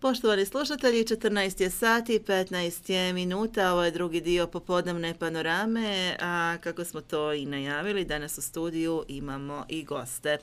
Poštovani slušatelji, 14 je sati, 15 je minuta, ovo je drugi dio popodnevne panorame, a kako smo to i najavili, danas u studiju imamo i goste.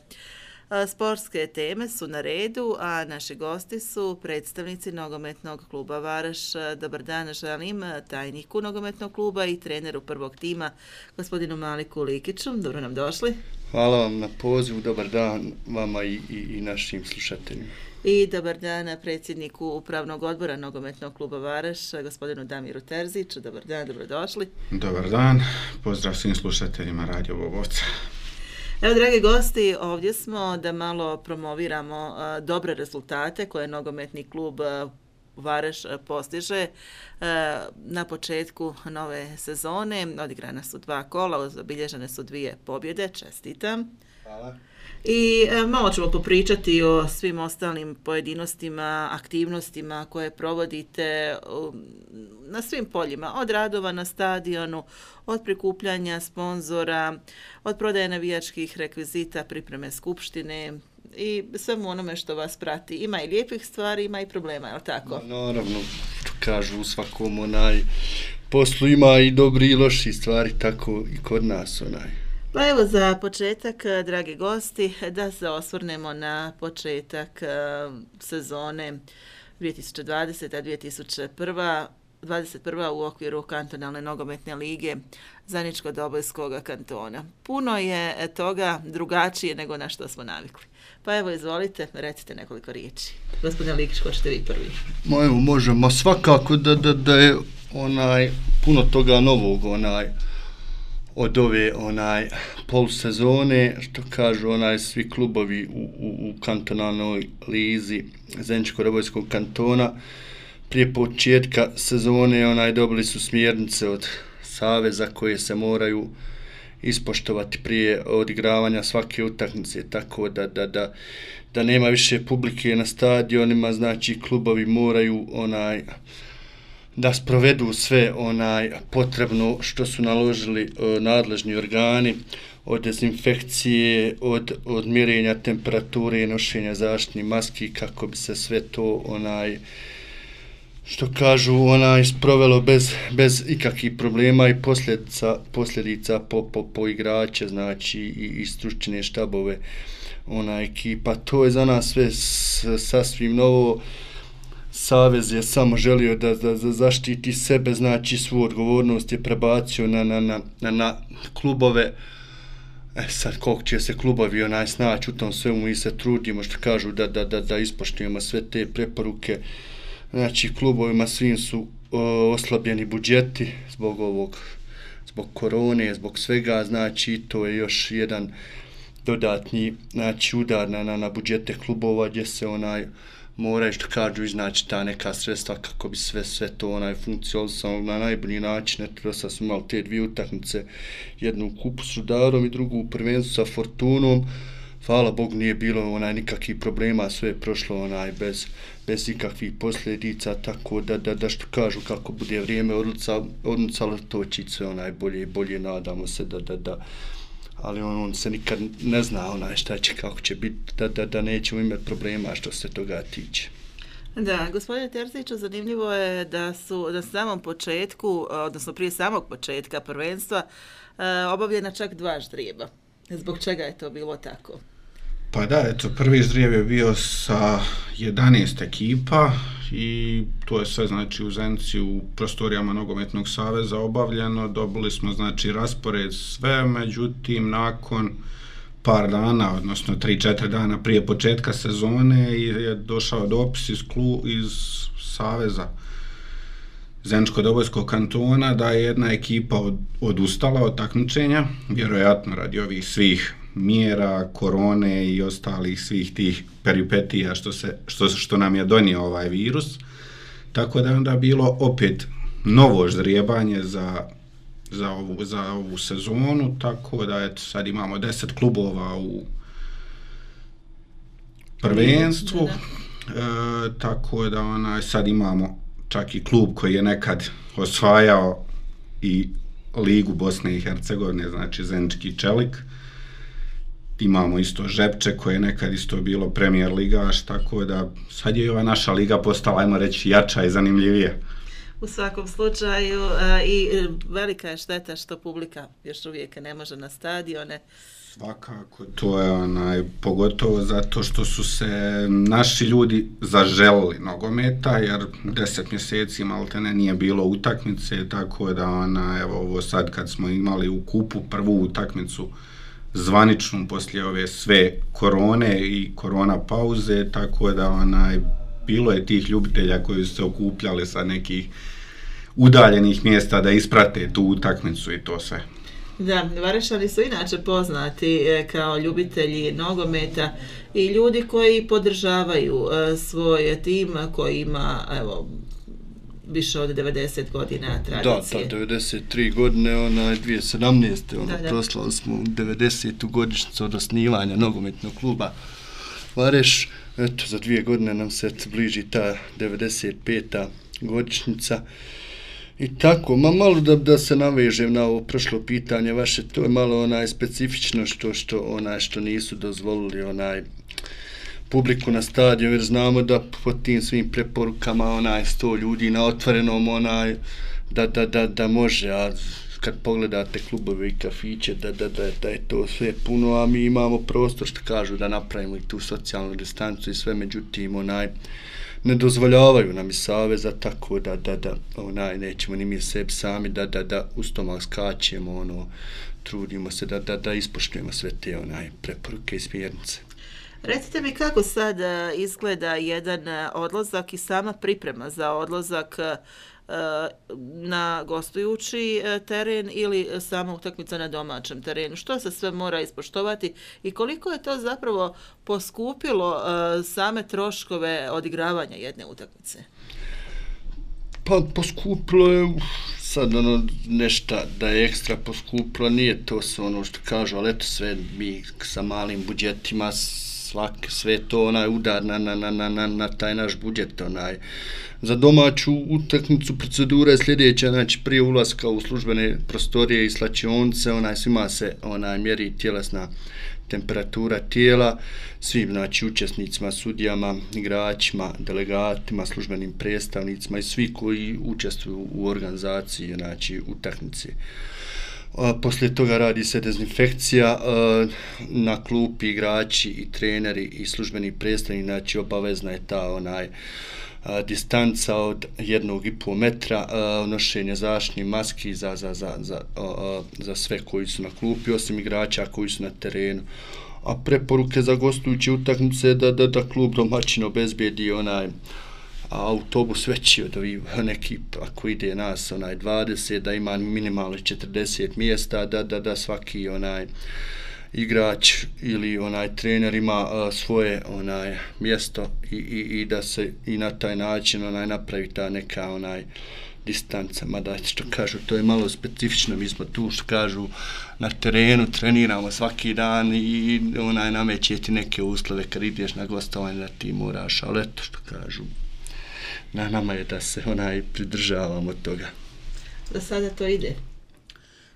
Sportske teme su na redu, a naši gosti su predstavnici nogometnog kluba Varaš. Dobar dan, želim tajniku nogometnog kluba i treneru prvog tima, gospodinu Maliku Likiću. Dobro nam došli. Hvala vam na pozivu, dobar dan vama i našim slušateljima. I dobar dan predsjedniku upravnog odbora nogometnog kluba Varaš, gospodinu Damiru Terziću. Dobar dan, dobrodošli. Dobar dan, pozdrav svim slušateljima Radio Bobovca. Evo, dragi gosti, ovdje smo da malo promoviramo dobre rezultate koje nogometni klub Varaš postiže na početku nove sezone. Odigrana su 2 kola, zabilježene su 2 pobjede. Čestitam. Hvala. I malo ćemo popričati o svim ostalim pojedinostima, aktivnostima koje provodite na svim poljima, od radova na stadionu, od prikupljanja sponzora, od prodaje navijačkih rekvizita, pripreme skupštine i svemu onome što vas prati. Ima i lijepih stvari, ima i problema, je li tako? Naravno, kažu u svakom poslu ima i dobri i loši stvari, tako i kod nas . Pa evo za početak, dragi gosti, da se osvrnemo na početak sezone 2020-2021 u okviru kantonalne nogometne lige Zeničko-Dobojskog kantona. Puno je toga drugačije nego na što smo navikli. Pa evo, izvolite, recite nekoliko riječi. Gospodine Likić, ko ćete vi prvi? Možemo svakako da je puno toga novog od ove polusezone, što kažu svi klubovi u kantonalnoj lizi Zeničko-Dobojskog kantona. Prije početka sezone dobili su smjernice od saveza koje se moraju ispoštovati prije odigravanja svake utakmice, tako da nema više publike na stadionima, znači klubovi moraju da sprovedu sve potrebno što su naložili nadležni organi, od dezinfekcije, od mjerenja temperature i nošenja zaštitnih maski, kako bi se sve to što kažu sprovelo bez ikakvih problema i posljedica po igrače, znači i stručne štabove ekipa. To je za nas sve sasvim novo. Savez je samo želio da zaštiti sebe, znači svu odgovornost je prebacio na klubove. Sad koliko će se klubovi snaći u tom svemu, mi se trudimo, što kažu, da ispoštujemo sve te preporuke. Znači klubovima svim su oslabljeni budžeti zbog korone, zbog svega, znači to je još jedan dodatni udar na budžete klubova, gdje se moraju, što kažu, iznaći ta neka sredstva kako bi sve to funkcionisalo na najbolji način. Eto, sad smo imali te 2 utakmice, jednu u kupu s Rudarom i drugu u prvenstvu sa Fortunom. Hvala Bogu, nije bilo nikakvih problema, sve je prošlo bez ikakvih posljedica, tako da što kažu, kako bude vrijeme odmicalo, to će sve bolje, nadamo se da ali on se nikad ne zna šta će, kako će biti, da nećemo imati problema što se toga tiče. Da, gospodine Terziću, zanimljivo je da su na samom početku, odnosno prije samog početka prvenstva, obavljena čak 2 ždrijeba. Zbog čega je to bilo tako? Pa da, eto, prvi ždrijeb je bio sa 11 ekipa i to je sve, znači, u Zenici u prostorijama Nogometnog saveza obavljeno. Dobili smo, znači, raspored sve, međutim, nakon par dana, odnosno 3-4 dana prije početka sezone je došao dopis iz saveza Zeničko-Dobojskog kantona da je jedna ekipa odustala od takmičenja, vjerojatno radi ovih svih mjera, korone i ostalih svih tih peripetija što nam je donio ovaj virus. Tako da je onda bilo opet novo ždrijebanje za ovu sezonu, tako da sad imamo 10 klubova u prvenstvu, tako da sad imamo čak i klub koji je nekad osvajao i Ligu Bosne i Hercegovine, znači Zenički Čelik. imamo isto Žepče koje je nekad isto bilo premijer ligaš, tako da sad je ova naša liga postala, ajmo reći, jača i zanimljivija. U svakom slučaju i velika je šteta što publika još uvijek ne može na stadione. Svakako, to je pogotovo zato što su se naši ljudi zaželili nogometa, jer 10 mjeseci maltene nije bilo utakmice, tako da evo ovo sad kad smo imali u kupu prvu utakmicu zvaničnu poslije ove sve korone i korona pauze, tako da bilo je tih ljubitelja koji su se okupljali sa nekih udaljenih mjesta da isprate tu utakmicu i to sve. Da, Varešani su inače poznati kao ljubitelji nogometa i ljudi koji podržavaju svoj tim koji ima, evo, više od 90 godina tradicije. Da, 93 godine, 2017. Proslali smo 90. godišnjicu od osnivanja nogometnog kluba Vareš. Eto, za 2 godine nam se bliži ta 95. godišnjica. I tako, malo da se navežem na ovo prošlo pitanje vaše, to je malo specifično što nisu dozvolili publiku na stadion, jer znamo da po tim svim preporukama 100 ljudi na otvorenom da može, a kad pogledate klubove i kafiće da je to sve puno, a mi imamo prostor što kažu da napravimo i tu socijalnu distancu i sve, međutim ne dozvoljavaju nam i saveza, tako da nećemo ni mi sebi sami da u stomak skačemo, trudimo se da ispoštujemo sve te preporuke i smjernice. Recite mi kako sad izgleda jedan odlazak i sama priprema za odlazak na gostujući teren ili sama utakmica na domaćem terenu. Što se sve mora ispoštovati i koliko je to zapravo poskupilo same troškove odigravanja jedne utakmice? Pa poskupilo je sad nešto da je ekstra poskupilo, nije to što kažu, ali eto sve mi sa malim budžetima sve to udar na taj naš budžet. Za domaću utakmicu procedura je sljedeća, znači prije ulaska u službene prostorije i slačionice, svima se mjeri tjelesna temperatura tijela, svim učesnicima, sudijama, igračima, delegatima, službenim predstavnicima i svi koji učestvuju u organizaciji utakmice. Poslije toga radi se dezinfekcija, na klupi igrači i treneri i službeni predstavnici, obavezna je ta distanca od 1,5 metra, nošenje zaštitnih maski za sve koji su na klupi, osim igrača koji su na terenu. A preporuke za gostujuće utakmice da klub domaćin obezbijedi autobus veći od neki, ako ide nas 20, da ima minimalno 40 mjesta, da svaki igrač ili trener ima svoje mjesto i da se i na taj način napravi ta neka distanca, mada što kažu, to je malo specifično, mi smo tu što kažu na terenu, treniramo svaki dan i nameće ti neke uslove kad ideš na gostovanje da ti moraš, ali eto što kažu, na nama je da se pridržavamo toga. Da sada to ide?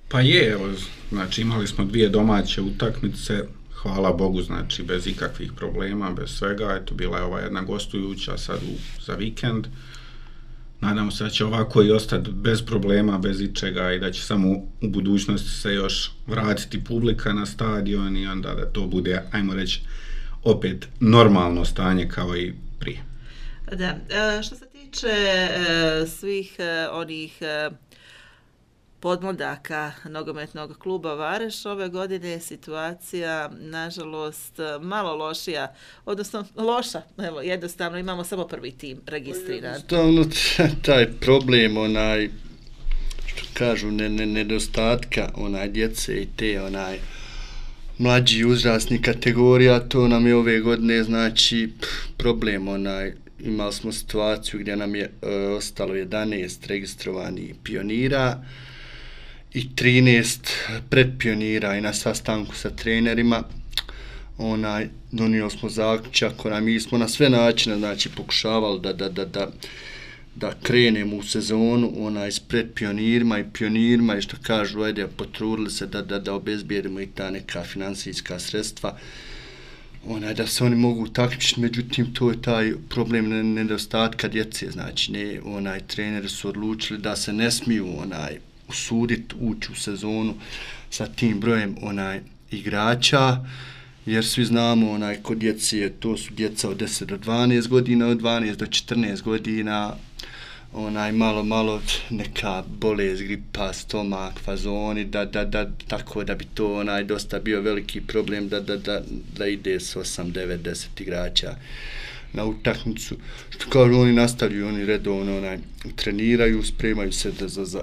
Pa je, evo, znači imali smo 2 domaće utakmice, hvala Bogu, znači bez ikakvih problema, bez svega, eto bila je ova jedna gostujuća sad za vikend. Nadamo se da će ovako i ostati bez problema, bez ičega i da će samo u budućnosti se još vratiti publika na stadion i onda da to bude, ajmo reći, opet normalno stanje kao i prije. Da, što se tiče svih onih podmladaka nogometnog kluba Vareš, ove godine je situacija, nažalost, malo lošija, odnosno loša, evo, jednostavno imamo samo prvi tim registriran. Jednostavno, taj problem, što kažu, nedostatka djece i te mlađi uzrasni kategorija, to nam je ove godine, znači, problem, imali smo situaciju gdje nam je ostalo 11 registrovanih pionira i 13 predpionira i na sastanku sa trenerima donijeli smo zaključak, mi smo na sve načine, znači, pokušavali da krenemo u sezonu pred pionirima i što kažu, ajde, potrudili se da obezbijedimo i ta neka financijska sredstva, da se oni mogu takmičiti, međutim to je taj problem nedostatka djece, znači treneri su odlučili da se ne smiju usuditi ući u sezonu sa tim brojem igrača, jer svi znamo kod djece, to su djeca od 10 do 12 godina, od 12 do 14 godina, malo neka bolest, gripa, stomak, fazoni, tako da bi to dosta bio veliki problem da ide s 8, 9, 10 igrača na utakmicu. Što kažu, oni nastavljaju, oni redovno treniraju, spremaju se za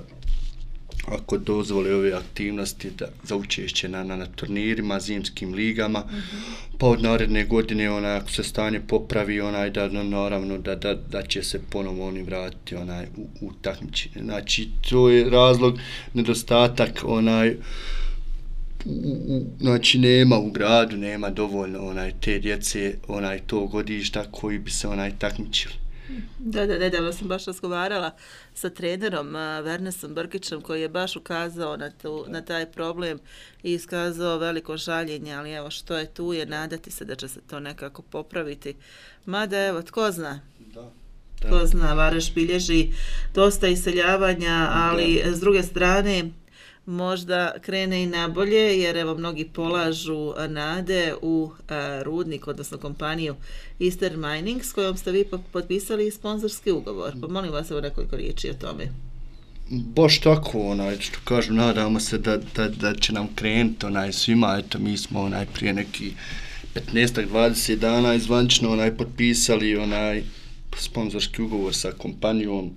ako dozvole ove aktivnosti za učešće na turnirima, zimskim ligama, pa od naredne godine ako se stanje popravi, naravno da će se ponovo oni vratiti u takmičenje. Znači to je razlog, nedostatak znači nema u gradu, nema dovoljno te djece tog godišta koji bi se takmičili. Da, nedavno sam baš razgovarala sa trenerom Vernesom Brkićem koji je baš ukazao na taj problem i iskazao veliko žaljenje, ali evo što je tu je nadati se da će se to nekako popraviti. Mada evo, tko zna? Tko zna, Varaš bilježi dosta iseljavanja, ali s druge strane možda krene i nabolje, jer evo mnogi polažu nade u rudnik, odnosno kompaniju Eastern Mining, s kojom ste vi potpisali sponzorski ugovor. Pa molim vas evo nekoliko riječi o tome. Baš tako, što kažu, nadamo se da će nam krenuti svima, eto mi smo prije neki 15-20 dana izvančno potpisali sponzorski ugovor sa kompanijom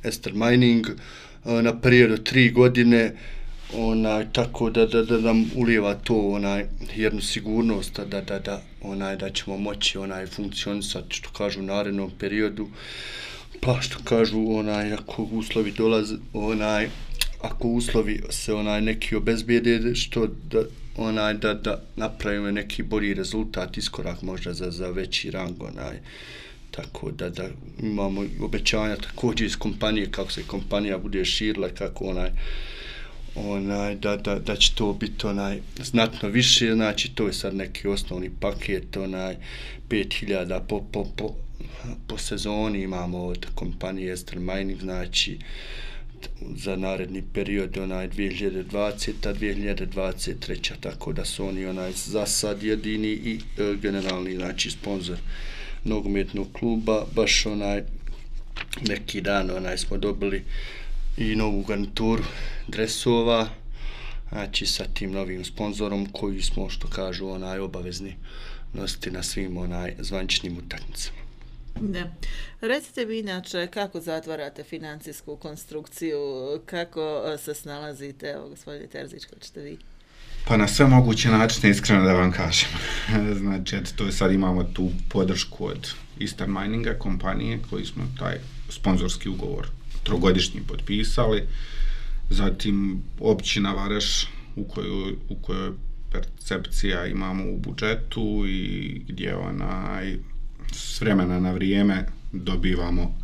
Eastern Mining na period od 3 godine, tako da nam ulijeva to jednu sigurnost da ćemo moći funkcionisati, što kažu, u narednom periodu. Pa što kažu, ako uslovi dolaze, ako uslovi se neki obezbijede, što da napravimo neki bolji rezultat, iskorak možda za veći rang, tako da imamo obećanja također iz kompanije, kako se kompanija bude širila, kako da će to biti znatno više, znači to je sad neki osnovni paket, 5.000 po sezoni imamo od kompanije Eastern Mining, znači za naredni period 2020-2023, tako da su oni za sad jedini i generalni, znači sponzor nogometnog kluba. Baš neki dan smo dobili i novu garnituru dresova, znači sa tim novim sponzorom koji smo, što kažu, obavezni nositi na svim zvaničnim utakmicama. Da. Recite mi inače kako zatvarate financijsku konstrukciju, kako se snalazite, evo gospodine Terzić, kako ćete vi? Pa na sve moguće načine, iskreno da vam kažem. Znači, to sad imamo tu podršku od Eastern Mininga, kompanije, koji smo taj sponzorski ugovor 3-godišnji potpisali. Zatim općina Varaš, u kojoj percepcija imamo u budžetu i gdje s vremena na vrijeme dobivamo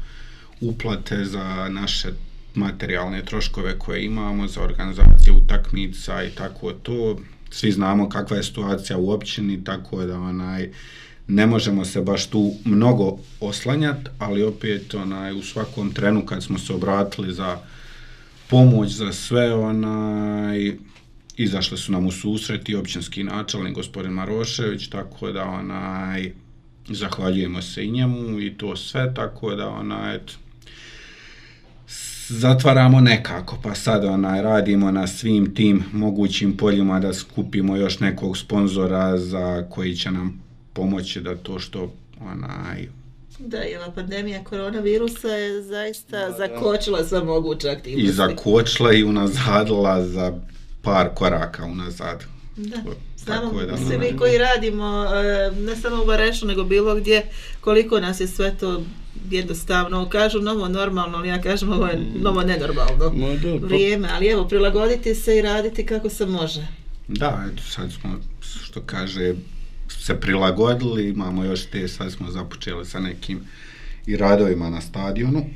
uplate za naše materijalne troškove koje imamo za organizaciju utakmica i tako to. Svi znamo kakva je situacija u općini, tako da ne možemo se baš tu mnogo oslanjati, ali opet u svakom trenu kad smo se obratili za pomoć za sve, izašli su nam u susret i općinski načelnik gospodin Marošević, tako da zahvaljujemo se i njemu i to sve, tako da zatvaramo nekako, pa sad radimo na svim tim mogućim poljima da skupimo još nekog sponzora za koji će nam pomoći da to što Da, i ova pandemija koronavirusa je zaista zakočila sve moguće aktivnosti. I zakočila i unazadila za par koraka unazad. Da, znamo svi mi koji radimo, ne samo u Varešu, nego bilo gdje, koliko nas je sve to jednostavno, kažu novo normalno, ali ja kažem ovo je novo nenormalno vrijeme, ali evo, prilagoditi se i raditi kako se može. Da, eto, sad smo, što kaže, se prilagodili, imamo još sad smo započeli sa nekim i radovima na stadionu.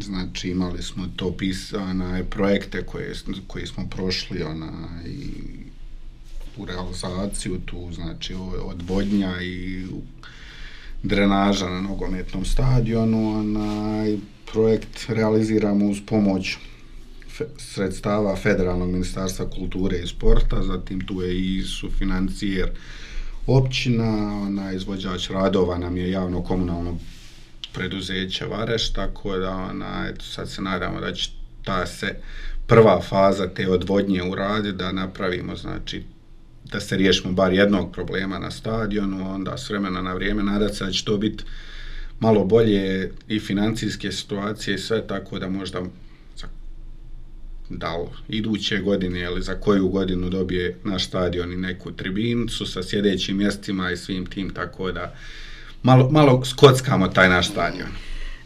Znači imali smo to pisane projekte koje smo prošli i u realizaciju tu, znači odvodnja i drenaža na nogometnom stadionu. Projekt realiziramo uz pomoć sredstava Federalnog ministarstva kulture i sporta, zatim tu je i sufinancijer općina, izvođač radova nam je javno komunalno preduzeće Vareš, tako da sad se nadamo da će ta se prva faza te odvodnje uraditi, da napravimo, znači da se riješimo bar jednog problema na stadionu, onda s vremena na vrijeme nadati se da će to biti malo bolje i financijske situacije i sve, tako da možda iduće godine ili za koju godinu dobije naš stadion i neku tribinicu sa sjedećim mjestima i svim tim, tako da malo skockamo taj naš stadion.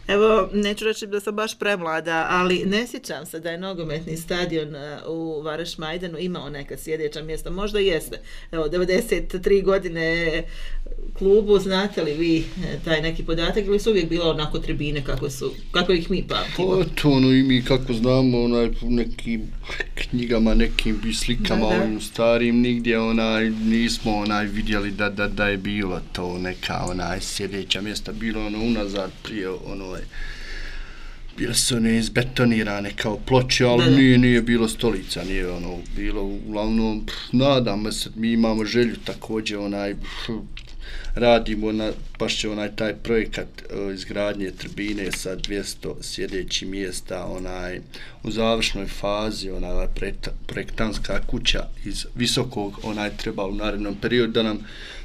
Evo, neću reći da sam baš premlada, ali ne sjećam se da je nogometni stadion u Vareš Majdanu imao neka sjedeća mjesta. Možda jeste. Evo, 93 godine klubu, znate li vi taj neki podatak ili su uvijek bilo onako tribine kako ih mi pamtimo? Pa to i mi kako znamo, u nekim knjigama, nekim slikama, ovim starim, nigdje nismo vidjeli da je bilo to neka sjedeća mjesta, bilo unazad prije bile su izbetonirane kao ploče, ali nije bilo stolica, nije bilo uglavnom, nadamo se, mi imamo želju također radimo baš će taj projekat izgradnje tribine sa 200 sjedećih mjesta u završnoj fazi, projektantska kuća iz Visokog, treba u narednom periodu da nam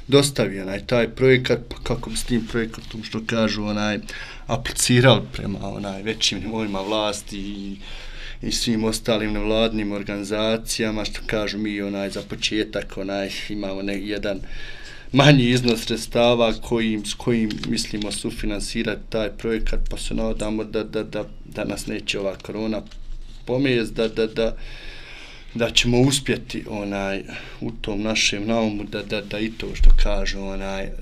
dostavi taj projekat, kako bi s tim projektom, što kažu, aplicirali prema većim nivoima vlasti i svim ostalim nevladnim organizacijama, što kažu mi za početak imamo jedan manji iznos sredstava s kojim mislimo sufinansirati taj projekat, pa se nadamo da nas neće ova korona pomijest, da ćemo uspjeti u tom našem naumu da i to što kažu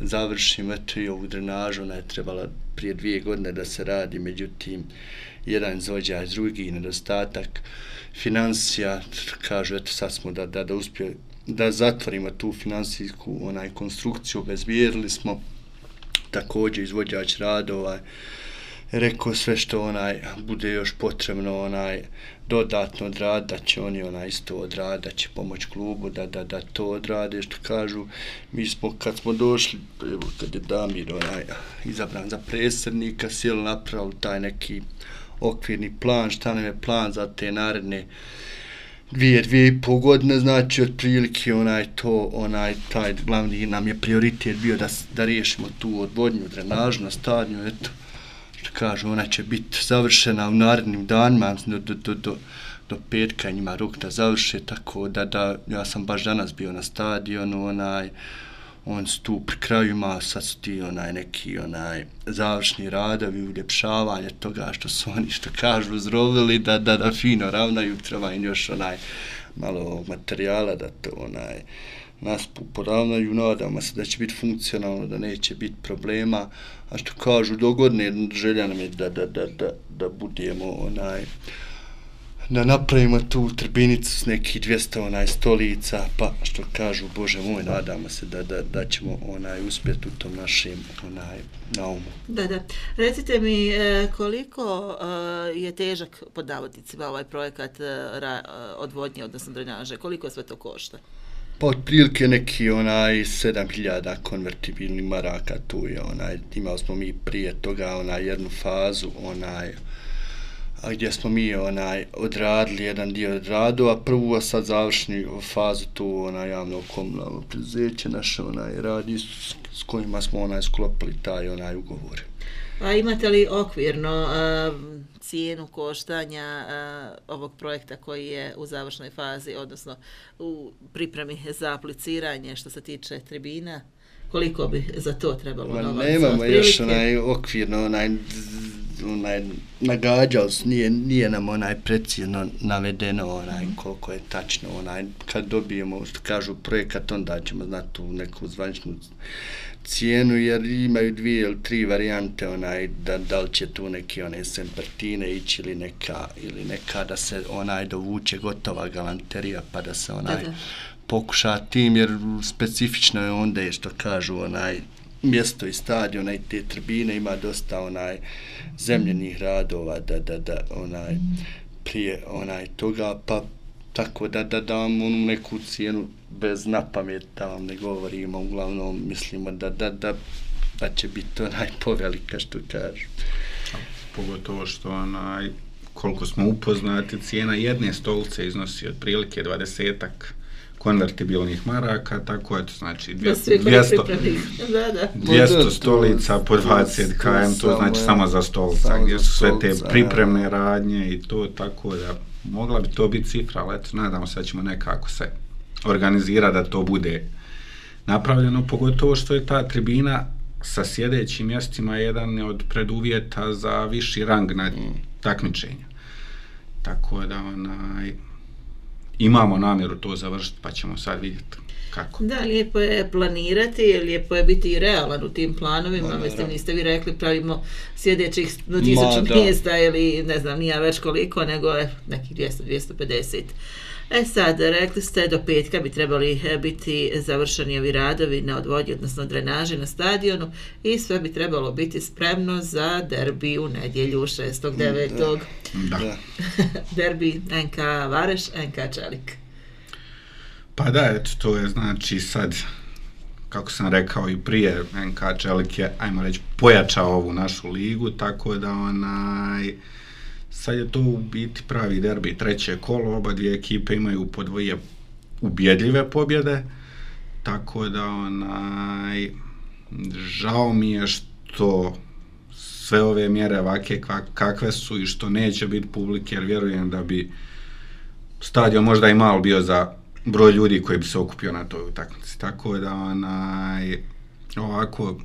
završimo. Eto i ovu drenažu, ona je trebala prije 2 godine da se radi, međutim jedan izvođač, drugi nedostatak financija, kažu eto sad smo da uspije da zatvorimo tu financijsku konstrukciju, obezbijedili smo. Također izvođač radova rekao sve što bude još potrebno dodatno odraditi, da će oni isto odraditi, da će pomoć klubu da to odrade, što kažu. Mi smo kad smo došli, kad je Damir izabran za predsjednika, sjeli napravili taj neki okvirni plan, šta nam je plan za te naredne 2,5 godine, znači otprilike taj glavni nam je prioritet bio da riješimo tu odvodnju, drenažu na stadionu, eto, što kažu, ona će biti završena u narednim danima, do petka njima rok da završe, tako da ja sam baš danas bio na stadionu, on su tu pri kraju ima, sad su ti neki završni radovi, uljepšavanje toga što su oni, što kažu, zrovili, da fino ravnaju, treba im još malo materijala da to nas poravnaju, nadamo se da će biti funkcionalno, da neće biti problema, a što kažu, dogodne želja nam je da budemo da napravimo tu tribinicu s nekih 200 stolica, pa što kažu, Bože moj, nadamo se da ćemo uspjeti u tom našem naumu. Da. Recite mi, koliko je težak pod navodnicima ovaj projekat odvodnje, odnosno drenaže, koliko sve to košta? Pa otprilike neki 7.000 konvertibilnih maraka, tu je imali smo mi prije toga jednu fazu, gdje smo mi odradili jedan dio radova, prvu, a sad završni fazu tu javno komunalno preduzeće naše radi s kojima smo sklopili taj ugovor. A imate li okvirno cijenu koštanja ovog projekta koji je u završnoj fazi, odnosno u pripremi za apliciranje što se tiče tribina? Koliko bi za to trebalo novaca? Nemamo još okvirno nagađali su, nije nam precizno navedeno koliko je tačno kad dobijemo, što kažu, projekat, onda ćemo znati tu neku zvaničnu cijenu, jer imaju 2 ili 3 varijante da li će tu neki sempertine ići ili neka da se dovuče gotova galanterija pa da se pokuša tim, jer specifično je onda je, što kažu, mjesto i stadiona i te tribine ima dosta zemljenih radova da prije da pa tako da vam neku cijenu bez napamet da vam ne govorimo, uglavnom mislimo da će biti povelika, što kažu. Pogotovo što koliko smo upoznati, cijena jedne stolice iznosi otprilike 20-ak konvertibilnih maraka, tako je to znači 200 stolica po 20 km, to znači samo za stolica, gdje su sve te pripremne radnje i to, tako da mogla bi to biti cifra, ali eto, nadamo se da ćemo nekako se organizirati da to bude napravljeno, pogotovo što je ta tribina sa sjedećim mjestima jedan od preduvjeta za viši rang na takmičenja. Tako da imamo namjeru to završiti, pa ćemo sad vidjeti kako. Da, lijepo je planirati, lijepo je biti i realan u tim planovima, mislim, niste vi rekli pravimo sjedećih 1000 mjesta ili ne znam, nije već koliko, nego je nekih 200-250. Sad, rekli ste do petka bi trebali biti završeni ovi radovi na odvodnji, odnosno drenaži na stadionu i sve bi trebalo biti spremno za derbi u nedjelju 6.9. Da. Derbi NK Vareš, NK Čelik. Pa da, eto, to je znači sad, kako sam rekao i prije, NK Čelik je, ajmo reći, pojačao ovu našu ligu, tako da sad je to u biti pravi derbi, 3. kolo, oba dvije ekipe imaju po 2 ubjedljive pobjede, tako da žao mi je što sve ove mjere ovake kakve su i što neće biti publike, jer vjerujem da bi stadion možda i malo bio za broj ljudi koji bi se okupio na toj utakmici, tako da ovako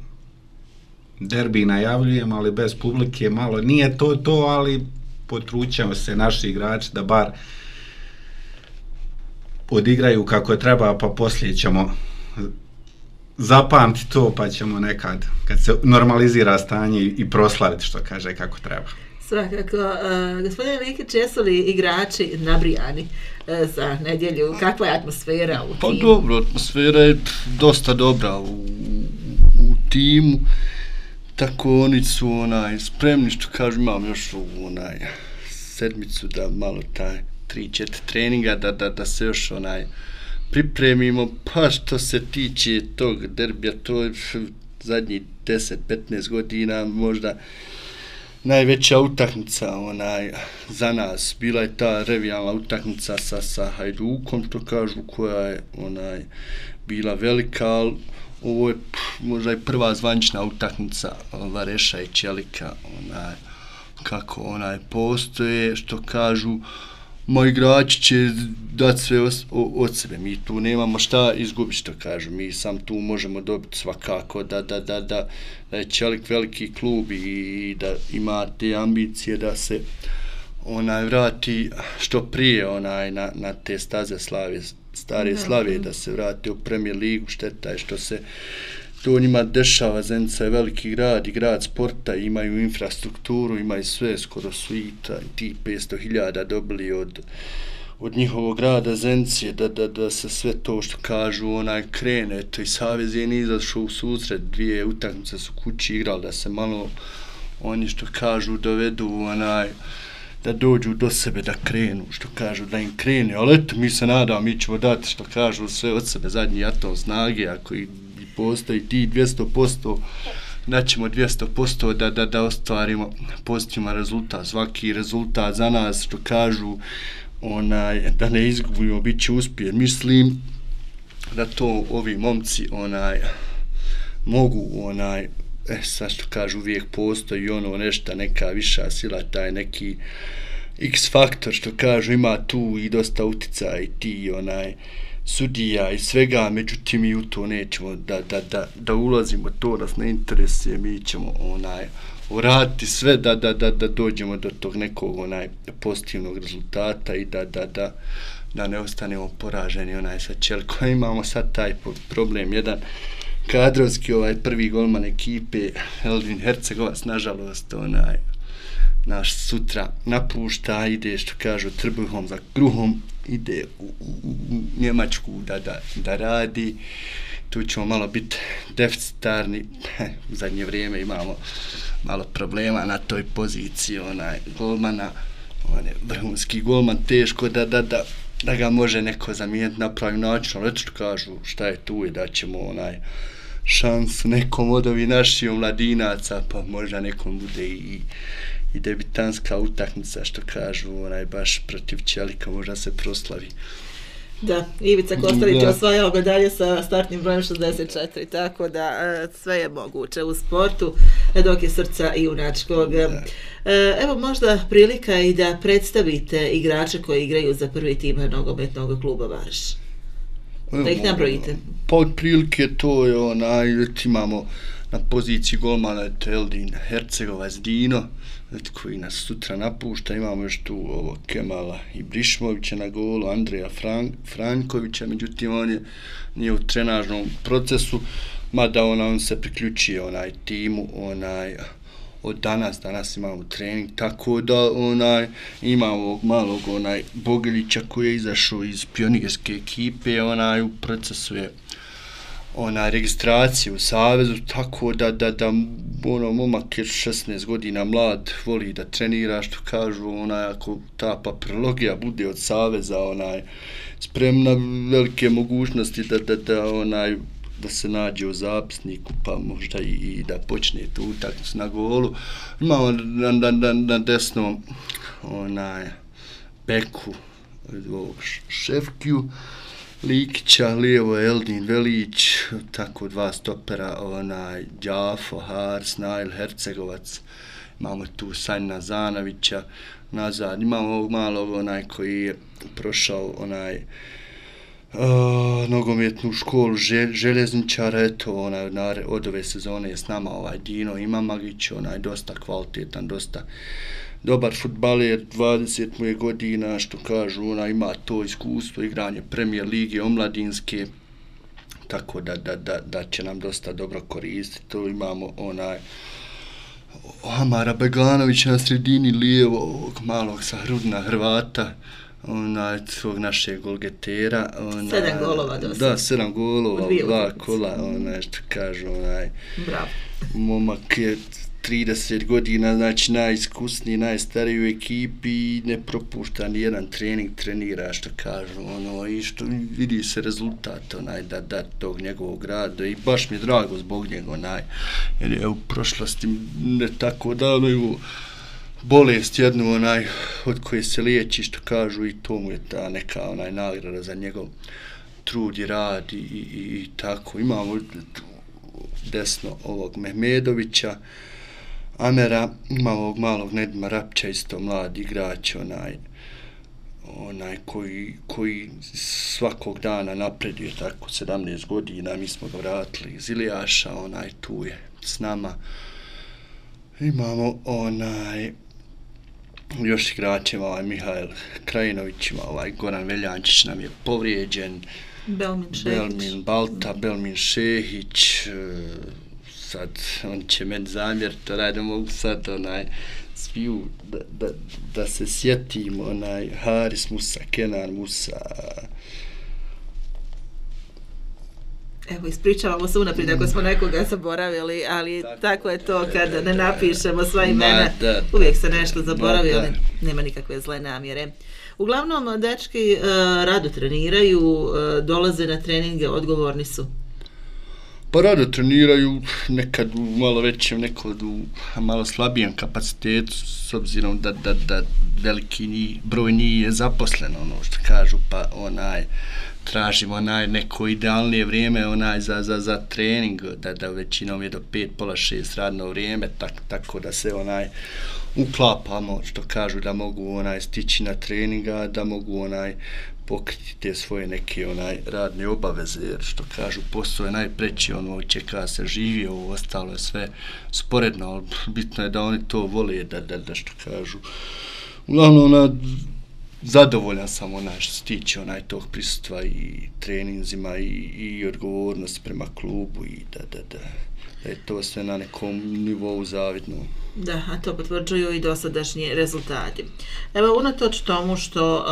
derbi najavljujem, ali bez publike malo nije to, ali potrućamo se naši igrači da bar odigraju kako treba, pa poslije ćemo zapamti to, pa ćemo nekad, kad se normalizira stanje, i proslaviti, što kaže, kako treba. Svakako. Gospodine Likić, jesu li igrači nabrijani za nedjelju? Kakva je atmosfera u timu? Pa dobro, atmosfera je dosta dobra u timu. Tako oni su spremni, što kažu, imam još sedmicu da malo taj 3-4 treninga da se još pripremimo, pa što se tiče tog derbija, to je zadnjih 10-15 godina možda najveća utakmica za nas. Bila je ta revijalna utakmica sa Hajdukom, to kažu, koja je bila velika, ali ovo je možda i prva zvanična utakmica Vareša i Čelika, kako postoje, što kažu, moji igrači će dati sve od sebe, mi tu nemamo šta izgubiti, što kažu, mi sam tu možemo dobiti svakako da je Čelik veliki klub i da ima te ambicije da se vrati što prije na te staze stare Slavije, da se vrati u Premier ligu. Šteta je što se to njima dešava. Zenica je veliki grad i grad sporta, imaju infrastrukturu, imaju sve, skoro su i ti 500.000 dobili od njihovog grada Zenice, da se sve to, što kažu, krene. To i Savez je nije izašao u susret, 2 utakmice su kući igrali, da se malo oni, što kažu, dovedu da dođu do sebe, da krenu, što kažu, da im krene, ali eto, mi se nadamo, mi ćemo dati, što kažu, sve od sebe, zadnji atom snage, ako i postoji ti 200%, daćemo 200% da ostvarimo pozitivan rezultat. Svaki rezultat za nas, što kažu, da ne izgubimo, bit će uspjeh. Mislim da to ovi momci mogu, sad što kažu, uvijek postoji nešto, neka viša sila, taj neki X faktor, što kažu, ima tu i dosta utjecaja i ti sudija i svega, međutim mi u to nećemo da ulazimo, to nas ne interesuje, mi ćemo uraditi sve da dođemo do tog nekog pozitivnog rezultata i da ne ostanemo poraženi sa Čelikom. Imamo sad taj problem, jedan kadrovski prvi golman ekipe Eldin Hercegovac, nažalost naš sutra napušta, ide što kažu trbuhom za kruhom, ide u Njemačku da radi. Tu ćemo malo biti deficitarni, u zadnje vrijeme imamo malo problema na toj poziciji golmana, on je vrhunski golman, teško da ga može neko zamijeniti na pravi način, ali što kažu šta je tu i da ćemo šansu nekom od ovih naših mladinaca, pa možda nekom bude i debitanska utakmica, što kažu, baš protiv Čelika možda se proslavi. Da, Ivica Kostelić je osvajao medalje sa startnim brojem 64, tako da sve je moguće u sportu, dok je srca i junačkog. Evo možda prilika i da predstavite igrače koji igraju za prvi tim nogometnog kluba Varš. Da ih nabrojite. Pa otprilike to je imamo na poziciji golmana Eldin Hercegovac Dino, koji nas sutra napušta, imamo još tu Kemala Ibrišmovića na golu, Andreja Frankovića, međutim on nije u trenažnom procesu, mada on se priključio timu od danas imamo trening, tako da imamo malog Bogelića koji je izašao iz pionirske ekipe, u procesu je registracije u savezu, tako da momak je 16 godina mlad, voli da trenira, što kažu, ako ta papirologija bude od saveza, spremna velike mogućnosti da se nađe u zapisniku, pa možda i da počne tu utakmicu na golu. Imamo na desnom beku Šefkiju Likića, lijevo Eldin Velić, tako dva stopera, Đafo, Haris, Nail Hercegovac, imamo tu Sanjina Zanovića, nazad, imamo ovog malog koji je prošao nogometnu školu željezničara, eto od ove sezone je s nama Dino Imamagić, dosta kvalitetan, dosta dobar fudbaler, 20 mu je godina, što kažu, ima to iskustvo, igranje Premier lige, omladinske, tako da će nam dosta dobro koristiti. To imamo Amara Beganovića na sredini, lijevo, ovog malog sa Hrudna Hrvata, svog našeg golgetera. 7 golova dosta. Da, 7 golova, 2 kola, što kažu, Bravo. Momak je 30 godina, znači najiskusniji, najstariji u ekipi i ne propušta ni jedan trening, trenira, što kažu, i što vidi se rezultat, da tog njegovog rada i baš mi je drago zbog njega, jer je u prošlosti ne tako davno bolest jednu, od koje se liječi, što kažu, i to mu je ta neka nagrada za njegov trud i rad i tako. Imamo desno ovog Mehmedovića, Amera, ima ovog malog Nedima Rapća, isto mlad igrač, koji svakog dana napreduje, tako 17 godina, mi smo ga vratili iz Ilijaša, tu je s nama. Imamo još igračima, Mihajl Krajinović, Goran Veljančić nam je povrijeđen, Belmin Balta, Belmin Šehić, sad on će meni zamjeriti, da mogu sad sviju da se sjetim, Haris Musa, Kenan Musa. Evo, ispričavamo se unaprijed ako smo nekoga zaboravili, ali tako je to kad ne napišemo sva imena, uvijek se nešto zaboravi, ali nema nikakve zle namjere. Uglavnom, dečki rado treniraju, dolaze na treninge, odgovorni su. Pa rado treniraju, nekad u malo većem, nekad u malo slabijem kapacitetu, s obzirom da veliki broj njih je zaposlen, što kažu, pa tražimo neko idealnije vrijeme za trening, da većinom je do 5, pola 6 radno vrijeme, tako da se uklapamo, što kažu, da mogu stići na treninga, da mogu pokriti te svoje neke radne obaveze, jer što kažu, posao je najpreći, čeka se živi, ovo ostalo je sve sporedno, ali bitno je da oni to vole, da što kažu. Uglavnom, zadovoljan sam što se tiče tog prisustva i treninzima i odgovornost prema klubu i da je to sve na nekom nivou zavidno. Da, a to potvrđuju i dosadašnji rezultati. Evo, unatoč tomu što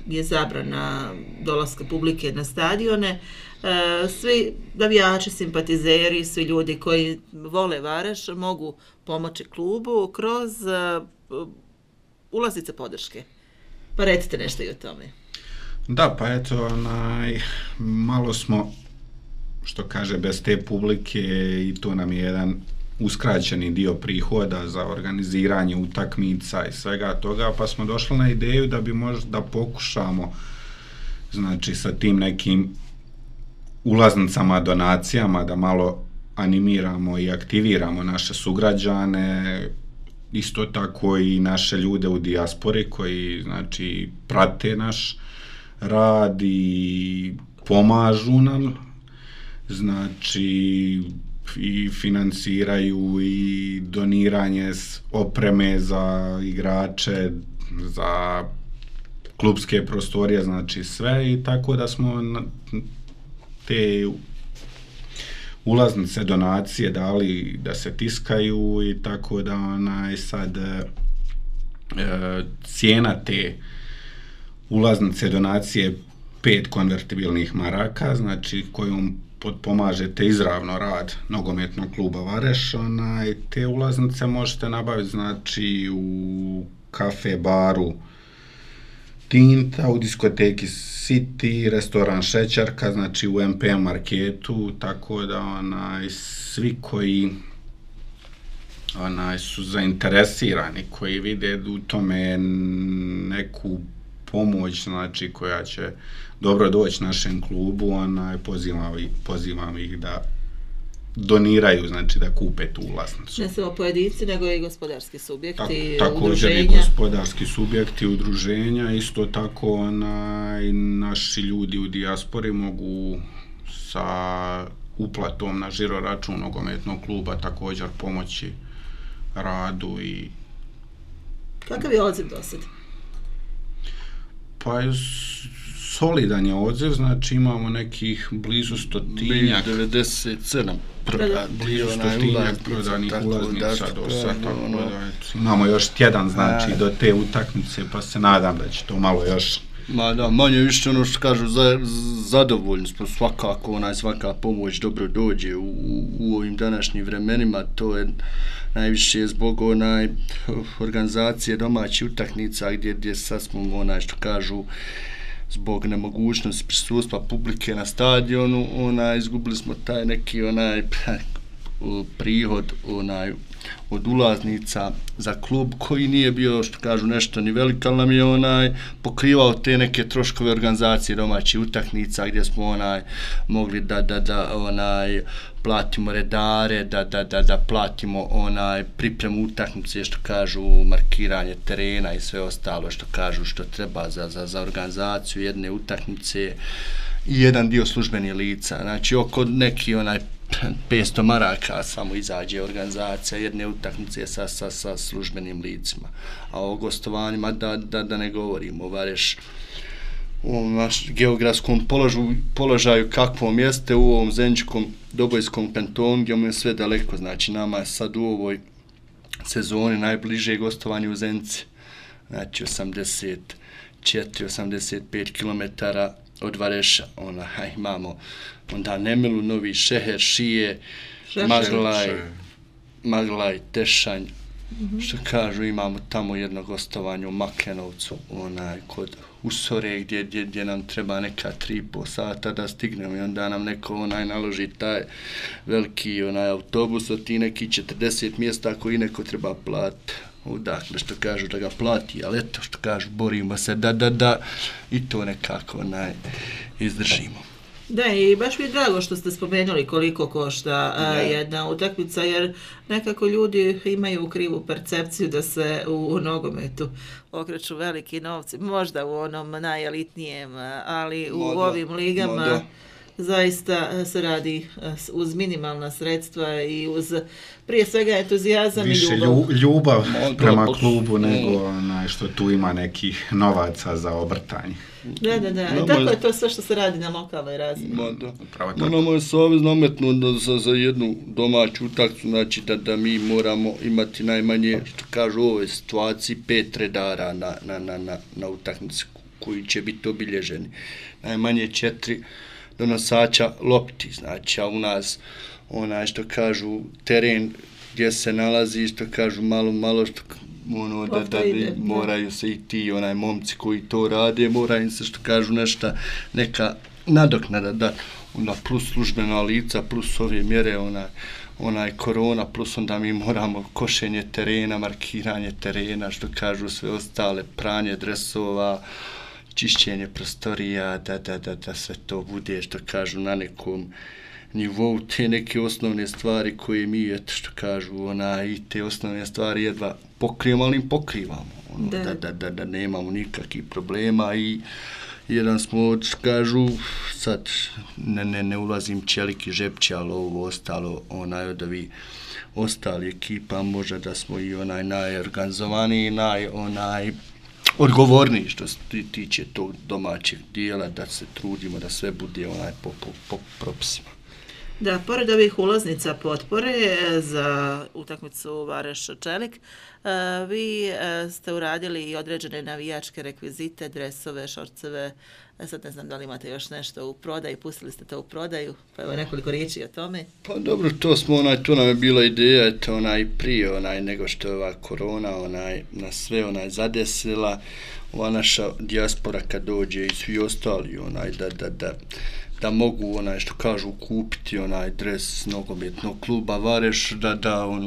je zabrana dolaska publike na stadione, svi navijači, simpatizeri, svi ljudi koji vole Vareš mogu pomoći klubu kroz ulaznice podrške. Pa recite nešto i o tome. Da, pa eto, malo smo, što kaže, bez te publike i to nam je jedan uskraćeni dio prihoda za organiziranje utakmica i svega toga, pa smo došli na ideju da bi možda pokušamo, znači, sa tim nekim ulaznicama, donacijama, da malo animiramo i aktiviramo naše sugrađane, isto tako i naše ljude u dijaspori koji, znači, prate naš rad i pomažu nam, znači, i financiraju i doniranje opreme za igrače, za klubske prostorije, znači sve, i tako da smo te ulaznice, donacije dali da se tiskaju, i tako da sad cijena te ulaznice, donacije 5 konvertibilnih maraka, znači kojom potpomažete izravno rad nogometnog kluba Vareš. Te ulaznice možete nabaviti, znači, u kafe baru Tinta, u diskoteki City, restoran Šećarka, znači u MPM marketu, tako da svi koji su zainteresirani, koji vide u tome neku pomoć, znači, koja će dobro doći našem klubu, pozivam ih da doniraju, znači da kupe tu ulaznicu. Ne samo pojedinci, nego i gospodarski subjekti, udruženja. Također i gospodarski subjekti, udruženja, isto tako naši ljudi u dijaspori mogu sa uplatom na žiro račun nogometnog kluba također pomoći radu. I kakav je odziv do sad? Pa solidan je odziv, znači imamo nekih blizu 100-tinjak. 97 blizu 100-tinjak prodanih ulaznica do sad. Imamo još tjedan, znači, do te utakmice, pa se nadam da će to malo još... Ma da, manje više što kažu, zadovoljni smo svakako, svaka pomoć dobro dođe u ovim današnjim vremenima, to je najviše zbog organizacije domaćih utakmica gdje sad smo, što kažu, zbog nemogućnosti prisustva publike na stadionu, izgubili smo taj neki prihod od ulaznica za klub, koji nije bio, što kažu, nešto ni velik, ali nam je pokrivao te neke troškove organizacije domaćih utakmica, gdje smo mogli da platimo redare, da platimo pripremu utakmice, što kažu, markiranje terena i sve ostalo, što kažu, što treba za organizaciju jedne utakmice, i jedan dio službenih lica. Znači, oko neki 500 maraka samo izađe organizacija jedne utakmice sa službenim licima. A o gostovanjima da ne govorimo, Vareš u ovom geografskom položaju kakvom jeste, u ovom Zeničkom Dobojskom kantonu, gdje mu je sve daleko. Znači, nama je sad u ovoj sezoni najbliže gostovanje u Zenici, znači 84-85 km od Vareša. Imamo onda Nemilu, Novi Šeher, Šije, Maglaj, Tešanj, što kažu, imamo tamo jedno gostovanje u Maklenovcu, kod Usore, gdje nam treba neka 3,5 sata da stignemo, i onda nam neko naloži taj veliki autobus od ti neki 40 mjesta koji neko treba platiti. Dakle, što kažu, da ga plati, ali eto, što kažu, borimo se da i to nekako izdržimo. Da, i baš mi je drago što ste spomenuli koliko košta jedna utakmica, jer nekako ljudi imaju krivu percepciju da se u nogometu okreću veliki novci, možda u onom najelitnijem, ali u ovim ligama zaista se radi uz minimalna sredstva i uz prije svega entuzijazam i ljubav. Više ljubav prema klubu nego što tu ima nekih novaca za obrtanje. Da. Tako je to sve što se radi na lokalnoj razini. Moramo je savez nametnuti za jednu domaću utakmicu, znači da mi moramo imati najmanje, što kažu u ovoj situaciji, 5 redara na utakmici koji će biti obilježeni. Najmanje 4 donosača lopti, znači, a u nas što kažu teren gdje se nalazi, što kažu malo što da moraju se i ti momci koji to rade, moraju im se, što kažu, neka nadoknada da onda plus službena lica, plus ove mjere, korona, plus onda mi moramo košenje terena, markiranje terena, što kažu sve ostale, pranje dresova, čišćenje prostorija, da sve to bude, što kažu, na nekom nivou, te neke osnovne stvari koje mi, što kažu, i te osnovne stvari jedva pokrijemo, ali im pokrivamo, da nemamo nikakvih problema. I jedan smo, što kažu, sad ne ulazim Čelik i Žepći, ali ovo ostalo, od ovih ostali ekipa, možda da smo i najorganizovaniji, odgovorniji što se tiče tog domaćeg dijela, da se trudimo da sve bude po propisima. Da, pored ovih ulaznica potpore za utakmicu Vareš-Čelik, vi ste uradili i određene navijačke rekvizite, dresove, šorceve, sad ne znam da li imate još nešto u prodaju, pustili ste to u prodaju, pa evo nekoliko riječi o tome. Pa dobro, to nam je bila ideja, prije nego što je ova korona nas sve zadesila, ova naša dijaspora kad dođe i svi ostali, da mogu, što kažu, kupiti dres nogometnog kluba Vareš, da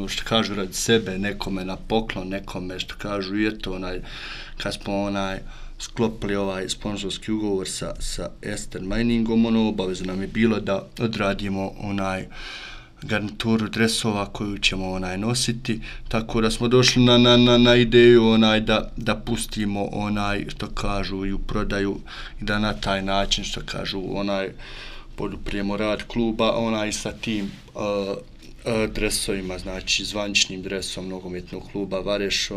što kažu, radi sebe, nekome na poklon, nekome, što kažu, i eto, kad smo sklopili ovaj sponzorski ugovor sa Ester Miningom, obavezno nam je bilo da odradimo garnituru dresova koju ćemo nositi, tako da smo došli na ideju da pustimo što kažu i u prodaju i da na taj način, što kažu, poduprijemo rad kluba, sa tim dresovima, znači zvaničnim dresom nogometnog kluba Vareš,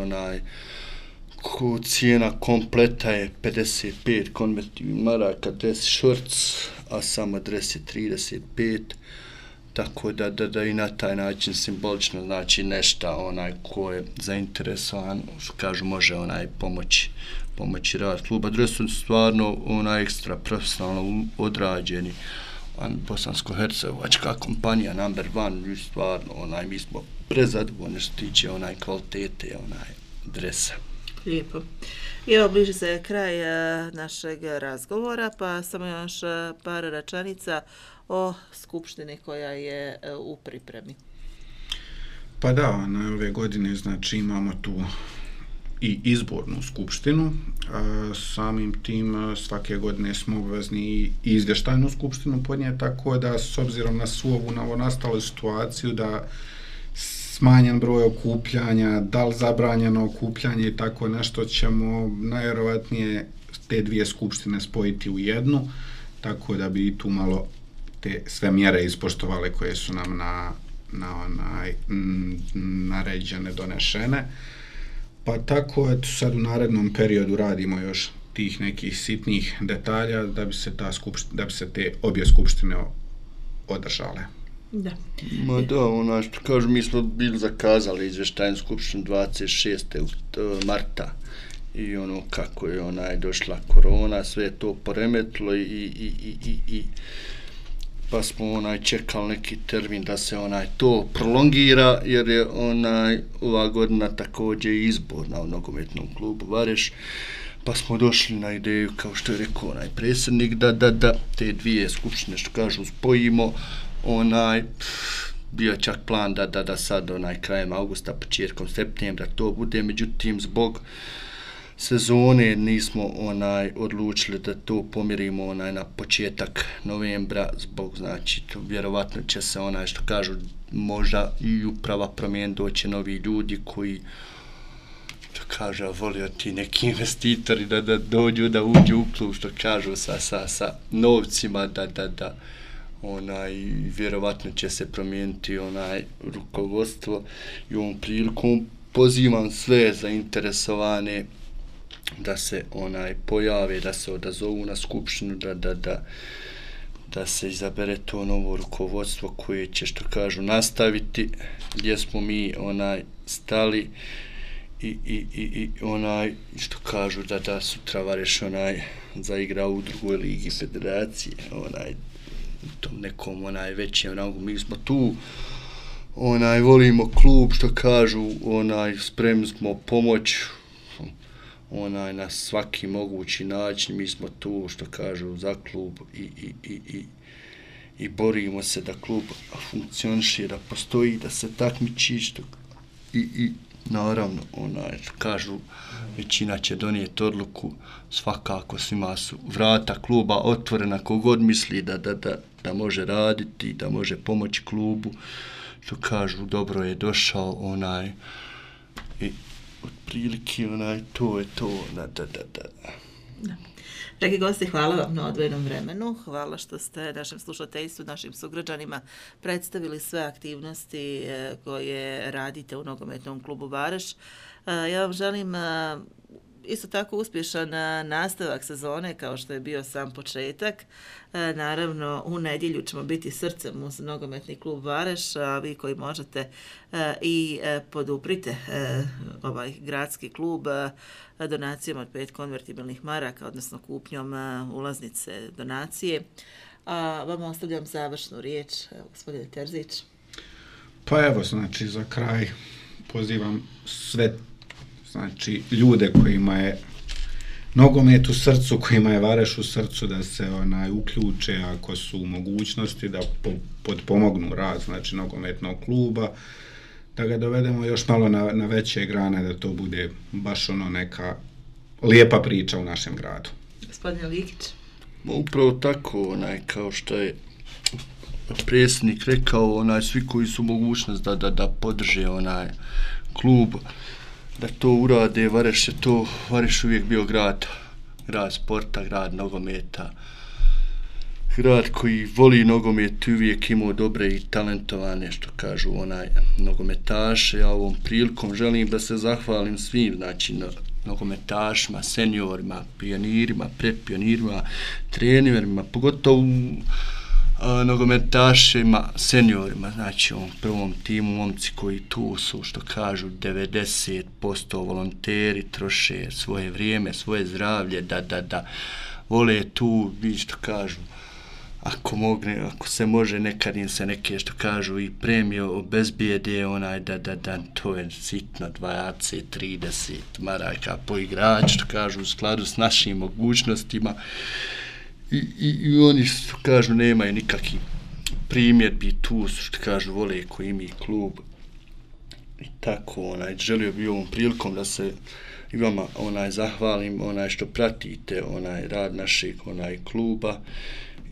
cijena kompleta je 55 konvertibilnih maraka, dres šorc, a samo dres je 35, tako da i na taj način simbolično znači nešto ko je zainteresovan, što kažu, može pomoći rad kluba. Dres su stvarno ekstra profesionalno odrađeni, bosansko-hercegovačka kompanija number one, stvarno mi smo prezadovoljni što tiče kvalitete dresa. Lijepo. I evo, bliži se kraj našeg razgovora, pa samo još par rečenica o skupštini koja je u pripremi. Pa da, ove godine znači imamo tu i izbornu skupštinu, samim tim svake godine smo obvezni i izvještajnu skupštinu podnijeti, tako da s obzirom na svu ovu novonastalu situaciju da smanjen broj okupljanja, da li zabranjeno okupljanje i tako nešto, ćemo najvjerovatnije te dvije skupštine spojiti u jednu, tako da bi tu malo te sve mjere ispoštovale koje su nam naređene, donešene. Pa tako, eto, sad u narednom periodu radimo još tih nekih sitnih detalja da bi se te obje skupštine održale. Da. Ma da, što kažu, mi smo bili zakazali izvještajnu skupštinu 26. marta i kako je došla korona, sve je to poremetilo i pa smo čekali neki termin da se to prolongira, jer je ova godina također izborna u nogometnom klubu Vareš, pa smo došli na ideju, kao što je rekao predsjednik, da te dvije skupštine, što kažu, spojimo. Bio čak plan da sad krajem augusta, početkom septembra to bude, međutim zbog sezone nismo odlučili da to pomjerimo na početak novembra zbog, znači, to vjerovatno će se što kažu, možda i uprava promijeniti, doće novi ljudi koji, što kaže, volio ti neki investitori da dođu, da uđu u klub, što kažu, sa novcima, da vjerovatno će se promijeniti rukovodstvo i ovom prilikom pozivam sve zainteresovane da se pojave, da se odazovu na skupštinu, da se izabere to novo rukovodstvo koje će, što kažu, nastaviti gdje smo mi stali i što kažu da sutra Vareš zaigra u drugoj ligi federacije, tom nekom većem rangu. Mi smo tu, volimo klub, što kažu, spremni smo pomoć na svaki mogući način. Mi smo tu, što kažu, za klub i borimo se da klub funkcioniše, da postoji, da se takmiči, i naravno, kažu, većina će donijeti odluku, svakako svima su vrata kluba otvorena, kogod misli da može raditi, da može pomoći klubu, što kažu, dobro je došao, i otprilike, to je to, da. Dragi gosti, hvala vam na odvojenom vremenu, hvala što ste našem slušateljstvu, našim sugrađanima predstavili sve aktivnosti koje radite u nogometnom klubu Vareš. Ja vam želim isto tako uspješan nastavak sezone kao što je bio sam početak. Naravno, u nedjelju ćemo biti srcem uz nogometni klub Vareš, a vi koji možete i poduprite ovaj gradski klub donacijom od 5 konvertibilnih maraka, odnosno kupnjom ulaznice donacije. A vama ostavljam završnu riječ, gospodine Terzić. Pa evo, znači, za kraj pozivam sve, znači, ljude kojima je nogomet u srcu, kojima je Vareš u srcu, da se uključe ako su u mogućnosti, da potpomognu rad, znači, nogometnog kluba, da ga dovedemo još malo na veće grane, da to bude baš neka lijepa priča u našem gradu. Gospodine Likić. Upravo tako, kao što je predsjednik rekao, svi koji su mogućnost da podrže klub, da to urade. Vareš uvijek bio grad sporta, grad nogometa, grad koji voli nogomet i uvijek imao dobre i talentovane, što kažu, nogometaše. Ja ovom prilikom želim da se zahvalim svim, znači, nogometašima, seniorima, pionirima, predpionirima, trenerima, pogotovo nogometašima, seniorima, znači u prvom timu momci koji tu su, što kažu, 90% volonteri, troše svoje vrijeme, svoje zdravlje, da vole tu, što kažu, ako se može, nekad im se neke, što kažu, i premije obezbijede, da to je sitno, 20, 30 maraka po igrač, što kažu, u skladu s našim mogućnostima. I oni, što kažu, nemaju nikakvih primjedbi, tu su, što kažu, vole koji mi klub. I tako, želio bi ovom prilikom da se i vama zahvalim, što pratite rad našeg kluba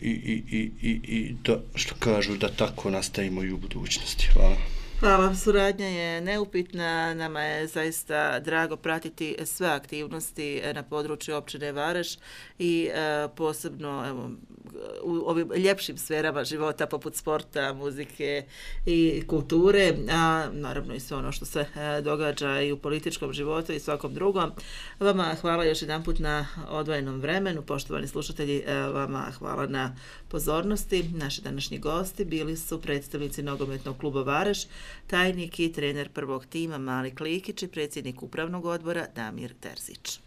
i da, što kažu, da tako nastavimo i u budućnosti. Hvala. Hvala, suradnja je neupitna, nama je zaista drago pratiti sve aktivnosti na području općine Vareš i posebno, evo, u ovim ljepšim sferama života poput sporta, muzike i kulture, a naravno i sve ono što se događa i u političkom životu i svakom drugom. Vama hvala još jedanput na odvojenom vremenu, poštovani slušatelji, vama hvala na pozornosti. Naši današnji gosti bili su predstavnici nogometnog kluba Vareš, tajnik i trener prvog tima Malik Likić i predsjednik upravnog odbora Damir Terzić.